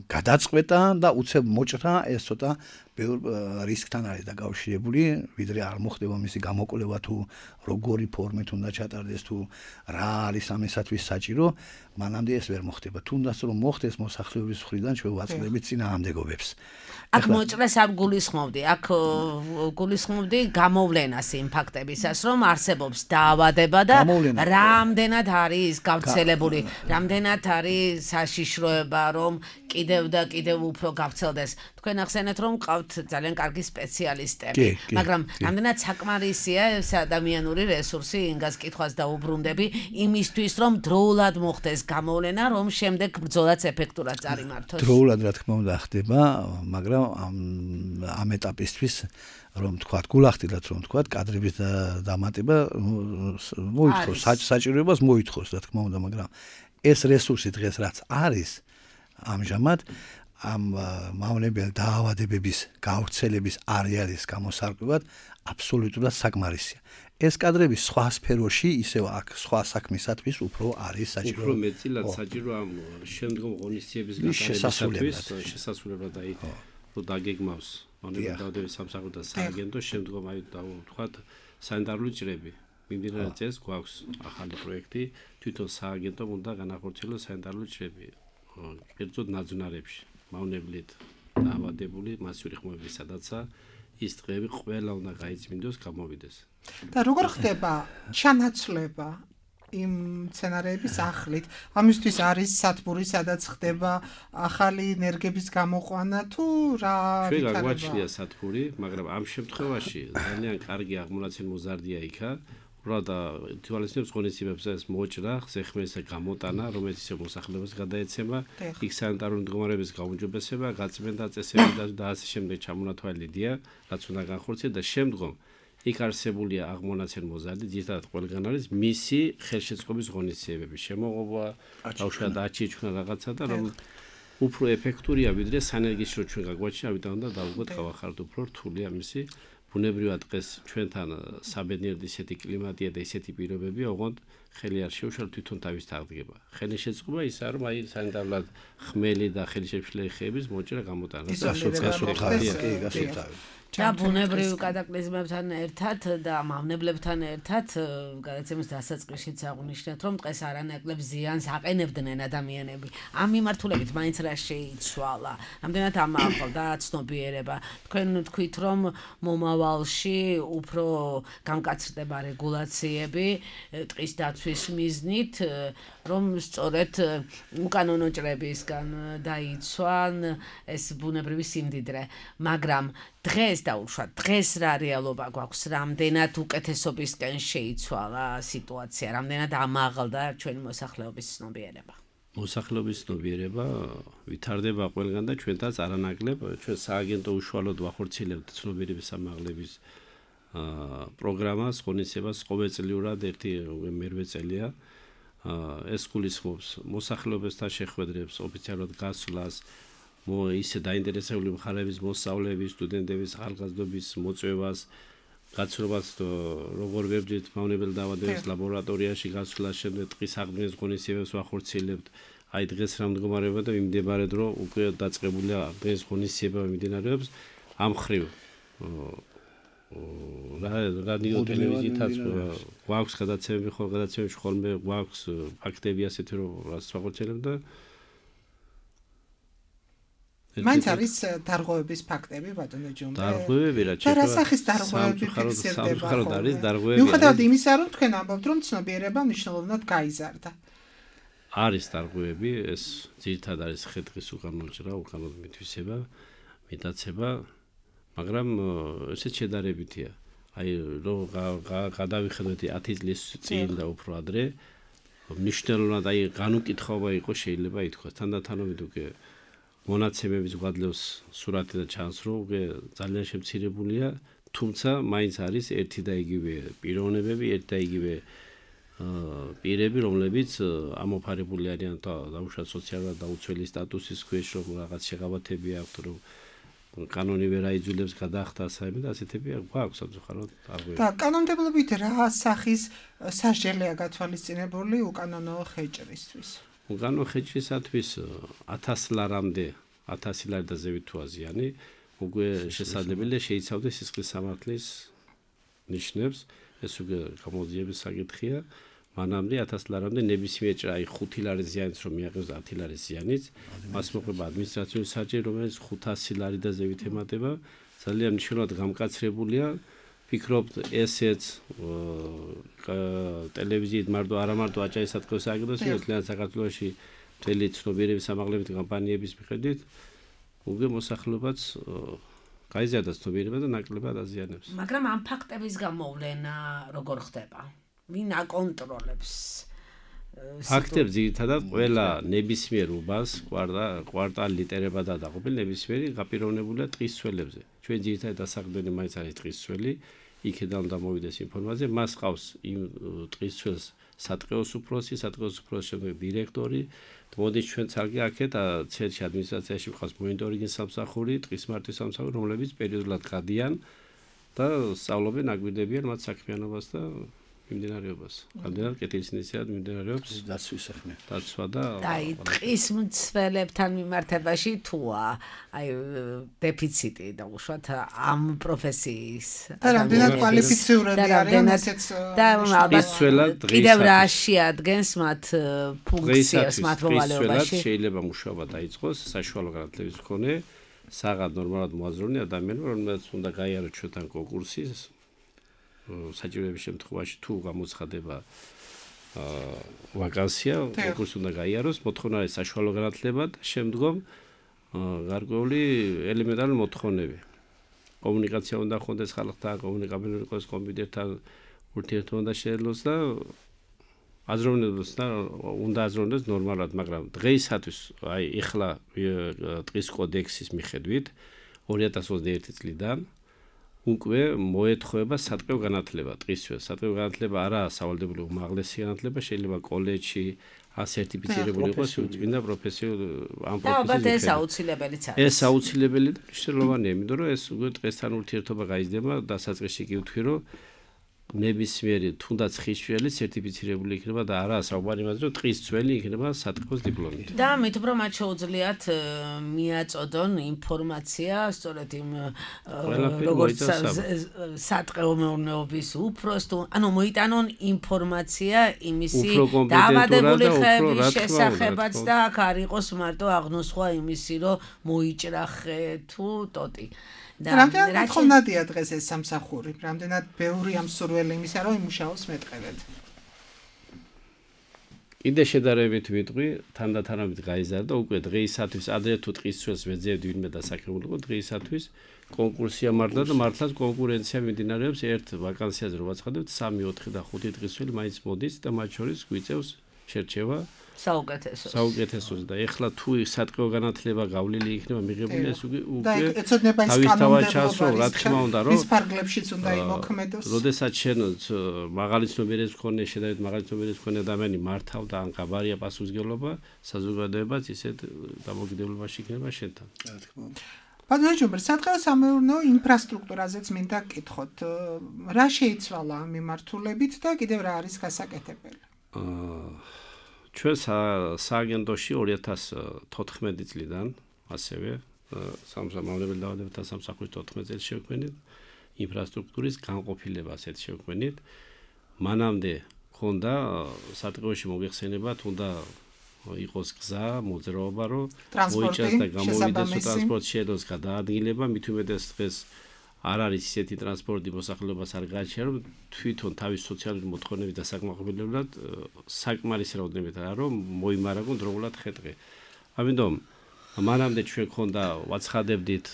გადაწყვეტა და უცებ მოჭრა ეს ცოტა ბევრ რისკთან არის დაკავშირებული, ვიდრე არ მოხდება მისი გამოკვლევა თუ როგორი ფორმით უნდა ჩატარდეს თუ რა არის ამისათვის საჭირო, მანამდე ეს ვერ მოხდება. თუნდაც რომ მოხდეს მოსახლეობის მხრიდან ჩვენ ვაწყდებით წინააღმდეგობებს. აქ მოჭრეს არ გულისხმობდი, აქ გულისხმობდი გამოვლენას იმ ფაქტებისას, რომ არსებობს დაავადება და რამდენად არის გავრცელებული, რამდენად არის საშიშროება, რომ კიდევ და კიდევ უფრო გავრცელდეს. თქვენ ახსენეთ, რომ ყავთ ძალიან კარგი სპეციალისტები, მაგრამ რამდენად საკმარისია ეს ადამიანური რესურსი, ინგას კითხვას დაუბრუნდები, იმისთვის, რომ დროულად მოხდეს გამოვლენა, რომ შემდეგ ბრძოლაც ეფექტურად წარიმართოს. დროულად რა თქმა უნდა ხდება, მაგრამ ამ ეტაპისთვის რომ თქვათ გულახდილად რომ თქვათ კადრების დამატება მოითხოვს, საჭიროებას მოითხოვს რა თქმა უნდა, მაგრამ ეს რესურსი დღეს რაც არის ამჟამად ამ მავნებელ დაავადებების გავრცელების არეალის გამოსარკვევად აბსოლუტურად საკმარისია. ეს კადრები სხვა სფეროში ისევ აქ სხვა საქმისათვის უფრო არის საჭირო. უფრო მეტილად საჭირო ამ შემდგომ ღონისძიების გატარებისათვის შესასრულებლად აი რომ დაგეგმავს მავნებელ დაავადების სამსახური და სააგენტო შემდგომ აი ვთქვათ სანიტარული ჭრები. მიმდინარე წელს გვაქვს ახალი პროექტი, თვითონ სააგენტომ უნდა განახორციელოს სანიტარული ჭრები. კერძოდ ნაძვნარებში, მავნებლით დაავადებული მასიური ხმები, სადაცა ის დღეები ყველა უნდა გაიწმინდოს, გამოვიდეს. და როგორ ხდება ჩანაცვლება იმ სცენარების ახლით? ამისთვის არის სათბური, სადაც ხდება ახალი ენერგების გამოყვანა თუ რა ვითარება? ჩვენ გვაჩნია სათბური, მაგრამ ამ შემთხვევაში ძალიან კარგი აღმონაცენი მოზარდია იქა. უბრალოდ თვალისწინებს ღონისძიებებს ეს მოჭრა, ზეხმერისა გამოტანა, რომელიც ისე მოსახლეობას გადაეცემა, იქ სანიტარული მდგომარეობის გაუმჯობესება, გაწმენდა წესები და ასე შემდეგ ჩამონათვალიდია, რაც უნდა განხორციელდეს და შემდგომ იქ არსებულია აღმონაცენ მოზარდი, ძირითადად ყველგან არის მისი ხელშეწყობის ღონისძიებები, შემოღობა, ბავშვად აჩიჩნა რაღაცა და რომ უფრო ეფექტურია ვიდრე სანერგის რო ჩვენ გაგვაჩინა, ამიტომ უნდა დავუგოთ გავახარდოთ უფრო რთულია მისი ბუნებრივად დღეს ჩვენთან საბედნიეროდ ისეთი კლიმატია და ისეთი პირობებია, ოღონდ ხელი არ შეუშალ თვითონ თავის თაღდგება. ხელი შეწყობა ისაა, რომ აი სანიტარულად ხმელი და ხელშეშლილი ხეების მოჭრა გამოტანა. და ბუნებრივ კატაკლიზმებთან ერთად და მავნებლებთან ერთად გადაცემის დასაწყისშიც აღვნიშნეთ, რომ დღეს არანაკლებ ზიანს აყენებდნენ ადამიანები. ამ მიმართულებით მაინც რა შეიცვალა? რამდენად ამაყავდა ცნობიერება? თქვენ თქვით, რომ მომავალში უფრო გამკაცრდება რეგულაციები ტყის დაცვის მიზნით, რომ სწორედ უკანონო ჭრებისგან დაიცვან ეს ბუნებრივი სიმდიდრე, მაგრამ დღეს დღეს რა რეალობა გვაქვს, რამდენად უკეთესობისკენ შეიცვალა სიტუაცია, რამდენად ამაღლდა ჩვენი მოსახლეობის ცნობიერება. მოსახლეობის ცნობიერება ვითარდება ყველგან და ჩვენთაც არანაკლებ, ჩვენ სააგენტო უშუალოდ ვახორციელებთ ცნობიერების ამაღლების პროგრამას, ღონისძიებას ყოველწლიურად ერთი მერვე წელია. ეს გულისხმობს მოსახლეობასთან შეხვედრებს, ოფიციალურად გასვლას, ისე დაინტერესებული მხარეების მოსწავლეების, სტუდენტების, ხალხაზრდობის მოწვევას, გაცნობას როგორ ვებრძვით მავნებელ დაავადებებს ლაბორატორიაში გასვლას, შემდეგ ტყის აღდგენის ღონისძიებებს ვახორციელებთ. აი დღეს რა მდგომარეობა და მიმდებარედ რომ უკვე დაწყებულია დღეს ღონისძიება მიმდინარეობს ამ ხრივ რადიო ტელევიზიითაც გვაქვს გადაცემები ხოლმე გვაქვს ფაქტები ასეთი რომ რაც ვახორციელებთ და მაინც არის დარღვევების ფაქტები ბატონო ჯუმბე. დარღვევები რა და რა სახის დარღვევები ფიქსირდება? სამწუხაროდ არის დარღვევები. მიუხედავად იმისა, რომ თქვენ ამბობთ, რომ ცნობიერება მნიშვნელოვნად გაიზარდა. არის დარღვევები, ეს ძირითადად არის ხე-ტყის უკანონჭრა, უკანონო მითვისება, მიტაცება, მაგრამ ესეც შედარებითია. აი რომ გადავიხედოთ 10 წლის წინ და უფრო ადრე, მნიშვნელოვნად აი განუკითხაობა იყო შეიძლება ითქვას. თანდათანობით უკვე მონაცემების გვადლევს სურათი და ჩანს რომ ძალიან შემცირებულია, თუმცა მაინც არის ერთი და იგივე პიროვნებები, ერთი და იგივე პირები, რომლებიც ამოფარებული არიან დაუშვათ სოციალურად დაუცველი სტატუსის ქვეშ, რომ რაღაც შეღავათები აქვთ, რომ კანონი ვერ აიძულებს გადახდა საერთოდ და ასეთები გვაქვს სამწუხაროდ არღვევები. და კანონმდებლობით რა სახის სასჯელია გათვალისწინებული უკანონო ხეჭრისთვის? უკანონო ხეჭრისათვის 1000 ლარამდე 1000 ლარი და ზევით თუ აზიანი უკვე შესაძლებელია შეიცავდეს სისხლის სამართლის ნიშნებს, ეს უკვე გამოძიების საკითხია. მანამდე 1000 ლარამდე ნებისმიერ ჭრა, აი 5 ლარის ზიანიც რომ მიაღწევს 10 ლარის ზიანიც, მას მოყვება ადმინისტრაციული საჭირო, რომელიც 500 ლარი და ზევით ემატება, ძალიან მნიშვნელოვნად გამკაცრებულია. ფიქრობთ ესეც ტელევიზიით არა მარტო აჭარის სათქმის სააგენტოს, თლიანად საქართველოში მთელი ცნობიერების ამაღლებითი კამპანიების მიხედვით უკვე მოსახლეობაც გაიზარდა ცნობიერება და ნაკლებად აზიანებს. მაგრამ ამ ფაქტების გამოვლენა როგორ ხდება? ვინ აკონტროლებს? ფაქტებს ძირითადად ყველა ნებისმიერ უბანს კვარტალი ლიტერება და დაყოფილი ნებისმიერი გაპიროვნებულია ტყის ცველებზე. ჩვენ ძირითადად დასაყრდენი მაინც არის ტყის ცველი, იქიდან უნდა მოვიდეს ინფორმაცია, მას ყავს იმ ტყის ცველს სატყეოს უფროსი, სატყეოს უფროსის შემდეგ დირექტორი. მოდის ჩვენ ცალკე აქეთ ცენტრში ადმინისტრაციაში ყავს მონიტორინგის სამსახური, ტყის მართვის სამსახური, რომლებიც პერიოდულად გადიან და სწავლობენ, აგვირდებიან მათ საქმიანობას და მიმდინარეობას. რამდენად კეთილის ინიციატივა მიმდინარეობს დაცვის საქმე. დაცვა და აი ტყის მცველებთან მიმართებაში თუა აი დეფიციტი და უშუალოდ ამ პროფესიის და რამდენად კვალიფიციური არიან ესეც და მცველად კიდევ რა შეადგენს მათ ფუნქციას მათ მოვალეობაში შეიძლება მუშაობა დაიწყოს საშუალო განათლების მქონე საღად ნორმალურად მოაზროვნე ადამიანები, რომელსაც უნდა გაიაროს ჩვენთან კონკურსი საჭიროების შემთხვევაში თუ გამოცხადება ვაკანსია, კონკურსი უნდა გაიაროს, მოთხოვნა არის საშუალო განათლება და შემდგომ გარკვეული ელემენტარული მოთხოვნები. კომუნიკაცია უნდა ხონდეს ხალხთან, კომუნიკაბილური იყოს კომპიუტერთან, ურთიერთობა შეძლოს და აზროვნებს და უნდა აზროვნოს ნორმალურად, მაგრამ დღეისათვის აი ეხლა ტყის კოდექსის მიხედვით 2021 წლიდან უკვე მოეთხოვება სატყეო განათლება ტყისთვის. სატყეო განათლება არაა სავალდებულო უმაღლესი განათლება, შეიძლება კოლეჯში ასერტიფიცირებული იყოს უწმინდა პროფესიულ ამ პროფესიის. და ეს აუცილებელიც არის. ეს აუცილებელი და მნიშვნელოვანია, იმიტომ რომ ეს უკვე ტყესთან ურთიერთობა გაიზრდება დასაწყისში კი ვთქვი, რომ ნებისმიერი თუნდაც ხიშველი სერტიფიცირებული იქნება და არაა საუბარი იმაზე, რომ ტყის ძველი იქნება სატყეოს დიპლომით. და მით უფრო მათ შეუძლიათ მიაწოდონ ინფორმაცია სწორედ იმ როგორც სატყეო მეურნეობის უფროს თუ ანუ მოიტანონ ინფორმაცია იმისი დაავადებული ხეების შესახებაც და აქ არ იყოს მარტო აღნოსხვა იმისი, რომ მოიჭრახე თუ ტოტი. რამდენად ხომნადია დღეს ეს სამსახური? რამდენად ბევრი ამ სურველი იმისა, რომ იმუშაოს მეტყევედ? კიდე შედარებით ვიტყვი, თანდათანობით გაიზარდა უკვე დღეისათვის, ადრე თუ ტყის ძველს ვეძებდი ვინმე დასაქმებულიყო, დღეისათვის კონკურსია მართლა და მართლაც კონკურენცია მიმდინარეობს ერთ ვაკანსიაზე რო ვაცხადებთ 3, 4 და 5 ტყის ძველი მაინც მოდის და მათ შორის გვიწევს შერჩევა საუკეთესოს და ეხლა თუ სატყეო განათლება გავლილი იქნება მიღებული ეს უკვე თავისთავად ჩასრო რა თქმა უნდა რომ ის ფარგლებშიც უნდა იმოქმედოს. როდესაც შენ მაღალი ცნობიერების მქონე შედარებით მაღალი ცნობიერების მქონე ადამიანი მართავდა ან გაბარია პასუხისმგებლობა საზოგადოებაც ისეთ დამოკიდებულებაში იქნება შენთან. რა თქმა უნდა. ბატონო ჯუმბერ, სატყეო სამეურნეო ინფრასტრუქტურაზეც მინდა გკითხოთ. რა შეიცვალა ამ მიმართულებით და კიდევ რა არის გასაკეთებელი? ჩვენ სააგენტოში 2014 წლიდან ასევე სამსახურებელ დაავადებათა სამსახურის 14 წელს შევქმნით ინფრასტრუქტურის განყოფილება ასეთ შევქმნით. მანამდე ქონდა სატყეოში მოიხსენება თუნდა იყოს გზა, მოძრაობა, რომ მოიჭრას და გამოვიდეს ტრანსპორტ შეძლოს გადაადგილება, მით უმეტეს დღეს არ არის ისეთი ტრანსპორტი მოსახლეობას არ გააჩნია, რომ თვითონ თავის სოციალური მოთხოვნების დასაკმაყოფილებლად საკმარის რაოდენობით არა რომ მოიმარაგონ დროულად ხე-ტყე. ამიტომ მანამდე ჩვენ ქონდა ვაცხადებდით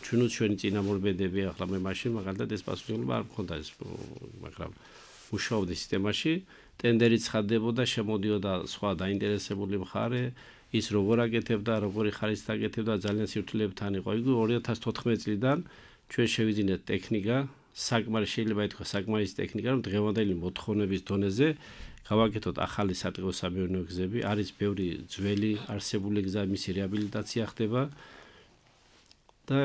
ჩვენი წინამორბედები, ახლა მე მაშინ მაგალითად ეს პასუხისმგებლობა არ მქონდა ეს, მაგრამ მუშაობდი სისტემაში, ტენდერი ცხადდებოდა, შემოდიოდა სხვა დაინტერესებული მხარე, ის როგორ აკეთებდა, როგორი ხარისხით აკეთებდა, ძალიან სირთულეებთან იყო. იგი 2014 წლიდან ჩვენ შევიძინეთ ტექნიკა, შეიძლება ითქვას საკმარის ტექნიკა, რომ დღევანდელი მოთხოვნების დონეზე გავაკეთოთ ახალი სატყეო სამეურნეო გზები, არის ბევრი ძველი არსებული გზა, მისი რეაბილიტაცია ხდება და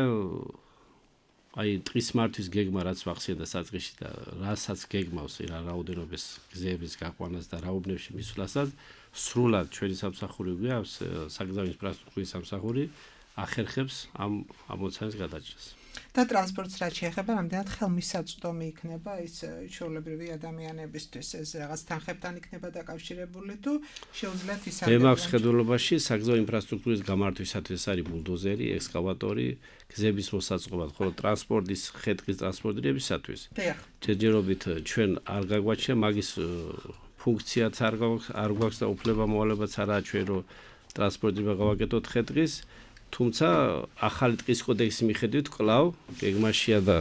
აი ტყის მართვის გეგმა რაც ვახსენე და საწყისში და რასაც გეგმავს რა რაოდენობის გზების გაყვანას და რაობნებში მისვლასაც სრულად ჩვენი სამსახური გვაქვს საგზაო ინფრასტრუქტურის სამსახური ახერხებს ამ ამოცანას გადაჭრას. და ტრანსპორტს რაც შეეხება, რამდენად ხელმისაწვდომი იქნება ის ჩვეულებრივი ადამიანებისთვის, ეს რაღაც თანხებთან იქნება დაკავშირებული თუ შეუძლიათ ისარგებლონ. მე მაქვს ხედულობაში საგზაო ინფრასტრუქტურის გამართვისათვის არის ბულდოზერი, ექსკავატორი, გზების მოსაწყობად, ხოლო ტრანსპორტის ხე-ტყის ტრანსპორტირებისათვის ჯერჯერობით ჩვენ არ გაგვაჩნია მაგის ფუნქციაც არ გვაქვს და უფლება მოვალეობაც არაა ჩვენ რომ ტრანსპორტირება გავაკეთოთ ხე-ტყის. თუმცა ახალი ტყის კოდექსის მიხედვით კვლავ გეგმაშია და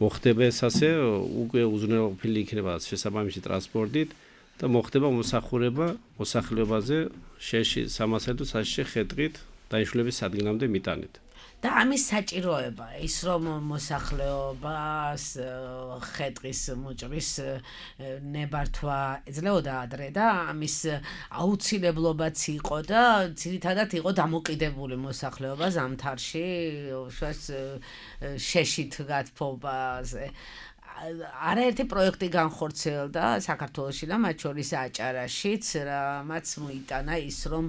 მოხდება ეს ასე უკვე უზრუნველყოფილი იქნება შესაბამისი ტრანსპორტით და მოხდება მოსახურება მოსახლეობაზე შეში 300 თუ საშიში ხე-ტყით დაიშლების სადგილამდე მიტანით. და ამის საჭიროება ის რომ მოსახლეობას ხე-ტყის მოჭრის ნებართვა ეძლეოდა ადრე და ამის აუცილებლობაც იყო და ძირითადად იყო დამოკიდებული მოსახლეობა ზამთარში შეშით გათბობაზე. არაერთი პროექტი განხორციელდა საქართველოში და მათ შორის აჭარაშიც, რამაც მოიტანა ის რომ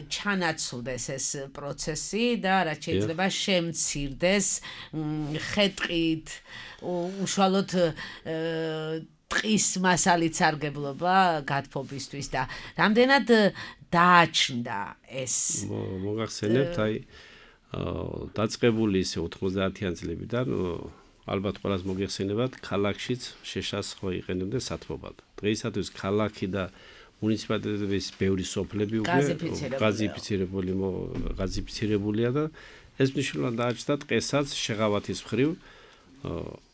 ჩანაცვლდეს ეს პროცესი და რაც შეიძლება შემცირდეს ხე-ტყით უშუალოდ ტყის მასალით სარგებლობა გათბობისთვის და რამდენად დააჩნდა ეს. მოგახსენებთ აი დაწყებული ისე 90-იან წლებიდან ალბათ ყველას მოგეხსენებათ, ქალაქშიც შეშასხვა იყენებდნენ სათბობად. დღეისათვის ქალაქი და მუნიციპალიტეტების ბევრი სოფლები უკვე გაზიფიცირებულია და ეს მნიშვნელოვნად დააჩნდა ტყესაც შეღავათის მხრივ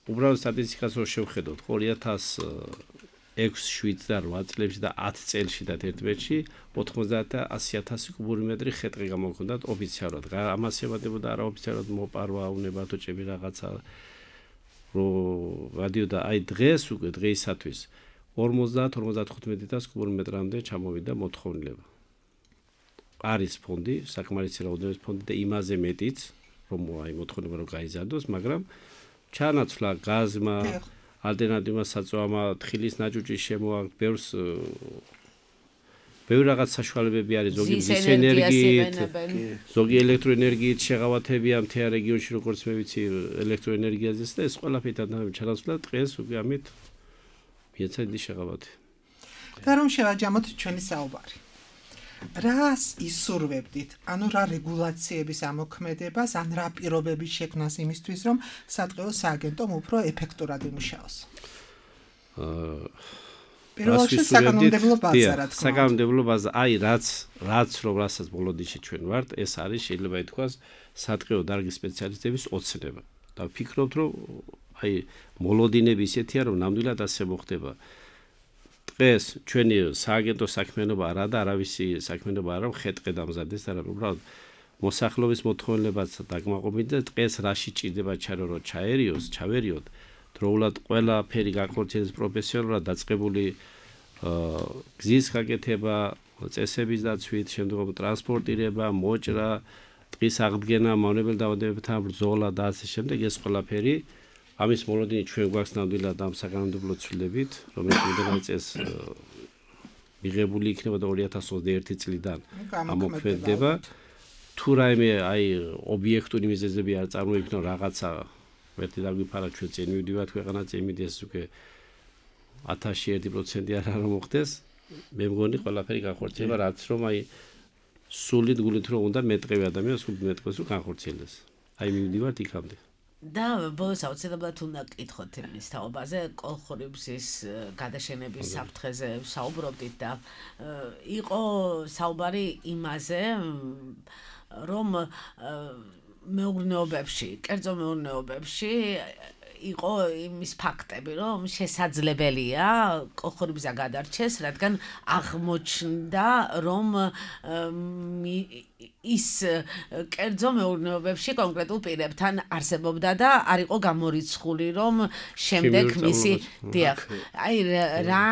უბრალოდ სტატისტიკას რო შევხედოთ, 2006-7 და 8 წლებში და 10 წელში და 11-ში 90,000 კუბური მეტრი ხე-ტყე გამოგვქონდათ ოფიციალურად. ამას ემატებოდა არაოფიციალურად მოპარვა, უნებათოჭები რაღაცა რო გადიოდა აი დღეს უკვე დღეისათვის 50-55,000 კუბურ მეტრამდე ჩამოვიდა მოთხოვნილება. არის ფონდი, საკმარისი რაოდენობის ფონდი და იმაზე მეტიც, რომ აი მოთხოვნება რო გაიზარდოს, მაგრამ ჩანაცვლა გაზმა, ალტერნატივა საწვამა, თხილის ნაჭუჭის შემოაქვთ, ბევრი რაღაც საშუალებები არის, ზოგი მზის ენერგიით, ზოგი ელექტროენერგიით შეღავათებია მთელ რეგიონში, როგორც მე ვიცი, ელექტროენერგიაზეც და ეს ყველაფერი ჩანაცვლა დღეს უკვე ამით მიეცა დიდი შეღავათი. და რომ შევაჯამოთ ჩვენი საუბარი. რას ისურვებდით? ანუ რა რეგულაციების ამოქმედებას, ან რა პირობების შექმნას იმისთვის, რომ სატყეო სააგენტომ უფრო ეფექტურად იმუშაოს? პირველ რიგში საკანონმდებლო ბაზა, რა თქმა უნდა. საკანონმდებლო ბაზა, აი რაც რასაც ბოლოდიში ჩვენ ვართ, ეს არის შეიძლება ითქვას სატყეო დარგის სპეციალისტების ოცნება. და ვფიქრობთ, რომ აი მოლოდინები ისეთია, რომ ნამდვილად ასე მოხდება. დღეს ჩვენი სააგენტო საქმიანობა არა და არავისი საქმიანობა არა, ხე-ტყე დამზადდეს და უბრალოდ მოსახლეობის მოთხოვნილებაც დაგმაყობით და დღეს რაში ჭირდება ჩარო რომ ჩავერიოთ დროულად ყველაფერი განხორციელდეს პროფესიონალურად დაწყებული გზის გაკეთება, წესების დაცვით, შემდგომ ტრანსპორტირება, მოჭრა, ტყის აღდგენა, მავნებელ დაავადებებთან ბრძოლა და ასე შემდეგ ეს ყველაფერი ამის მოლოდინი ჩვენ გვაქვს ნამდვილად ამ საკანონმდებლო ცვლილებით, რომელიც იმდენად წეს მიღებული იქნება და 2021 წლიდან ამოქმედდება. თუ რაიმე აი ობიექტური მიზეზები არ წარმოიქმნა რაღაცა ვერტი დაგვიფარა ჩვენ წინ მივდივართ ქვეყანაც იმიდეს უკვე 1001% არ მოხდეს. მე მგონი ყველაფერი განხორციელება რაც რომ აი სულით გულით რომ უნდა მეტყევი ადამიანს სულ მეტყევს რომ განხორციელდეს. აი მივდივართ იქამდე. და ბოლოს აუცილებლად უნდა გკითხოთ იმის თაობაზე, კოლხურიბზის გადაშენების საფრთხეზე საუბრობდით და იყო საუბარი იმაზე, რომ მეურნეობებში, კერძო მეურნეობებში იყო იმის ფაქტები, რომ შესაძლებელია კოლხურიბზა გადარჩეს, რადგან აღმოჩნდა, რომ ის კერძო მეურნეობებში კონკრეტულ პირებთან არსებობდა და არ იყო გამორიცხული, რომ შემდეგ მისი აი რა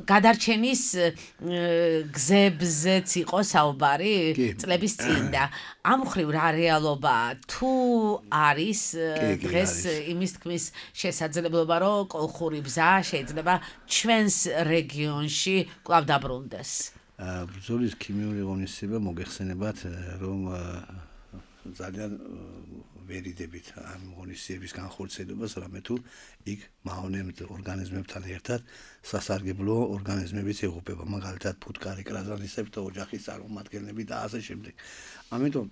გადარჩენის გზებზეც იყო საუბარი წლების წინ და ამ ხრივ რა რეალობაა თუ არის დღეს იმის თქმის შესაძლებლობა, რომ კოლხურიბზა შეიძლება ჩვენს რეგიონში კვლავ დაბრუნდეს. ბრძოლის ქიმიური ღონისძიება მოგეხსენებათ, რომ ძალიან ვერიდებით ამ ღონისძიების განხორციელებას, რამე თუ იქ მავნებელ ორგანიზმებთან ერთად სასარგებლო ორგანიზმებიც იღუპება, მაგალითად ფუტკარი, კრაზანისები და ოჯახის წარმომადგენლები და ასე შემდეგ. ამიტომ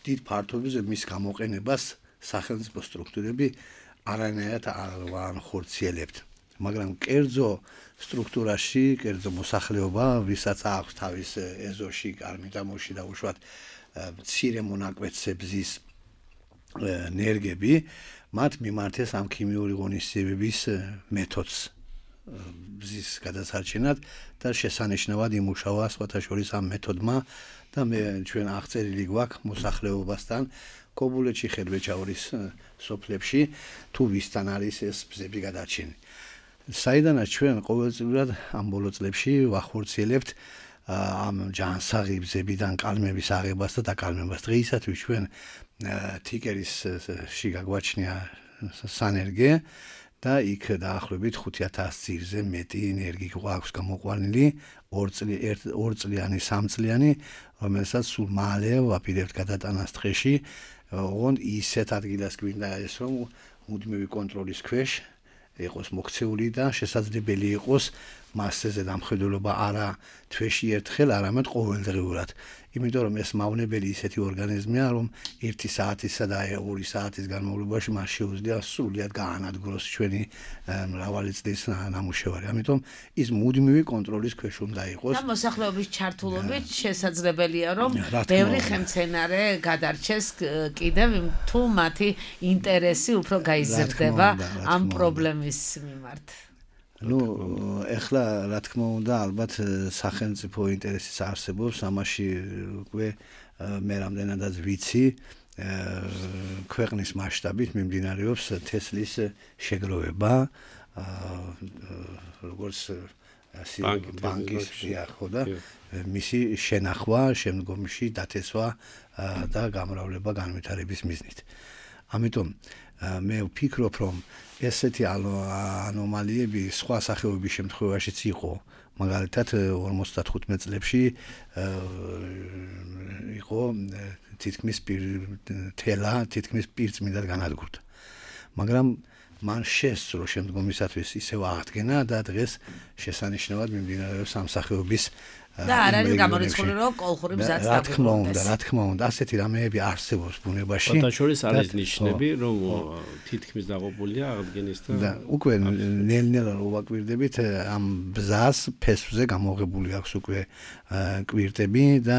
დიდ ფართობზე მის გამოყენებას სახელმწიფო სტრუქტურები არანაირად არ ხორციელებთ. მაგრამ კერძო სტრუქტურაში, კერძო მოსახლეობა, ვისაც აქვს თავის ეზოში, კარმიდამოში და უშუალოდ მცირე მონაკვეთსებზის ნერგები, მათ მიმართეს ამ ქიმიური ღონისძიებების მეთოდს ბზის გადასარჩენად და შესანიშნავად იმუშავა სხვათა შორის ამ მეთოდმა და მე ჩვენ აღწერილი გვაქვს მოსახლეობასთან კობულეთში, ხერვეჭაურის სოფლებში თუ ვისთან არის ეს ბზები გადარჩენილი. საიდანაც ჩვენ ყოველწლიურად ამ ბოლო წლებში ვახორციელებთ ამ ჯანსაღი ბზებიდან კალმების აღებას და დაკალმებას. დღეისათვის ჩვენ თიკერისში გაგვაჩნია სანერგე და იქ დაახლოებით 5,000 ძირზე მეტი ენერგი გვაქვს გამოყვანილი 2 წლიანი, 3 წლიანი, რომელსაც სულ მალე ვაპირებთ გადატანას დღეში. ოღონდ ისეთ ადგილას გვინდა ეს რომ მუდმივი კონტროლის ქვეშ იყოს მოქცეული და შესაძლებელი იყოს მასზე დამხედველობა არა თვეში ერთხელ, არამედ ყოველდღიურად. იმიტომ რომ ეს მავნებელი ისეთი ორგანიზმია, რომ 1 საათისა და 2 საათის განმავლობაში მას შეუძლია სრულად გაანადგუროს ჩვენი მრავალი წლის ნამუშევარი. ამიტომ ის მუდმივი კონტროლის ქვეშ უნდა იყოს. და მოსახლეობის ჩართულობით შესაძლებელია, რომ ბევრი ხელმძენარე გადარჩეს კიდევ თუ მათი ინტერესი უფრო გაიზრდება ამ პრობლემის მიმართ. ეხლა რა თქმა უნდა, ალბათ სახელმწიფო ინტერესიც არსებობს, ამაში უკვე მე რამდენადაც ვიცი, ქვეყნის მასშტაბით მიმდინარეობს თესლის შეგროვება, როგორც ბანკის ხო და მისი შენახვა, შემდგომში დათესვა და გამრავლება განვითარების მიზნით. ამიტომ მე ვფიქრობ, რომ ესეთი ანომალიები სხვა სახეობის შემთხვევაშიც იყო. მაგალითად 55 წლებში იყო თითქმის თითქმის პირწმინდად განადგურდა. მაგრამ მან შესწრო შემდგომისათვის ისევ აღდგენა და დღეს შესანიშნავად მიმდინარეობს ამ სახეობის და არ არის გამორიცხული, რომ კოლხური მზაც დაგვიყვანდეს. რა თქმა უნდა, ასეთი რამეები არსებობს ბუნებაში. და შორის არის ნიშნები, რომ თითქმის დაყოფილია აღდგენის და უკვე ნელ-ნელა რო ვაკვირდებით, ამ ბზას ფესვზე გამოღებული აქვს უკვე კვირტები და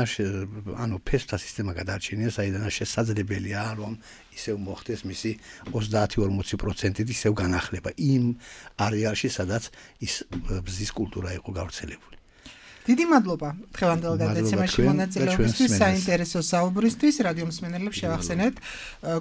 ანუ ფესვთა სისტემა გადარჩენია, საიდანაც შესაძლებელია, რომ ისევ მოხდეს მისი 30-40% ისევ განახლება იმ არეალში, სადაც ის ბზის კულტურა იყო გავრცელებული. დიდი მადლობა დღევანდელ გადაცემაში მონაწილეობისთვის, საინტერესო საუბრისთვის. რადიო მსმენელებს შევახსენებთ,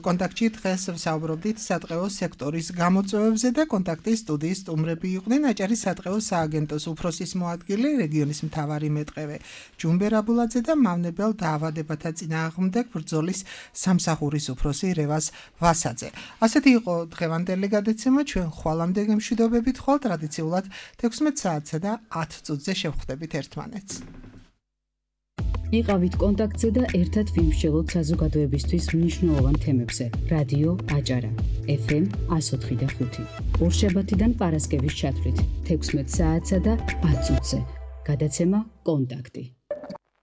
კონტაქტში დღეს ვსაუბრობდით სადღეო სექტორის გამოწვევებზე და კონტაქტის სტუდიის სტუმრები იყვნენ აჭარის სადღეო სააგენტოს უფროსის მოადგილე, რეგიონის მთავარი მეტყევე ჯუმბერ აბულაძე და მავნებელ დაავადებათა წინააღმდეგ ბრძოლის სამსახურის უფროსი რევაზ ვასაძე. ასეთი იყო დღევანდელი გადაცემა. ჩვენ ხვალამდე გემშვიდობებით ხვალ ტრადიციულად 16 საათსა და 10 წუთზე შევხვდებით იყავით კონტაქტზე და ერთად ვიმსჯელოთ საზოგადოებისთვის მნიშვნელოვან თემებზე. რადიო აჭარა FM 104.5 ორშაბათიდან პარასკევის ჩათვლით 16 საათსა და 10 წუთზე. გადაცემა კონტაქტი.